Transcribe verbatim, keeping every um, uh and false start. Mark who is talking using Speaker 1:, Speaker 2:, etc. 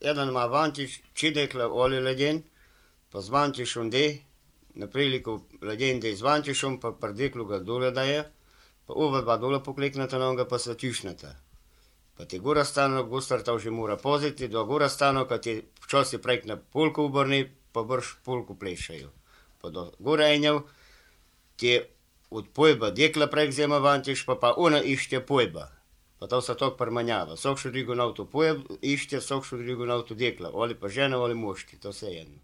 Speaker 1: jedan ima vantiš, čidekla oli ledjen, pa z vantišom de, na priliku ledjen de z vantišom, pa prdeklu ga dole daje, pa ova dva dole pokliknata noga, pa se tišnata. Pa ti gora stano, gustar ta už mora poziti, do gora stano, kad ti včasih prek na polku obrni, pa brž polku plešajo. Pa do gora enjav, ti od pojba dekla prek zema vantiš, pa pa ona ište pojba. Pa to se tako permanjava. Sok što drugo na to pojeb ište, sok što drugo na to dekla. Ali pa žena, ali moški, to se jedno.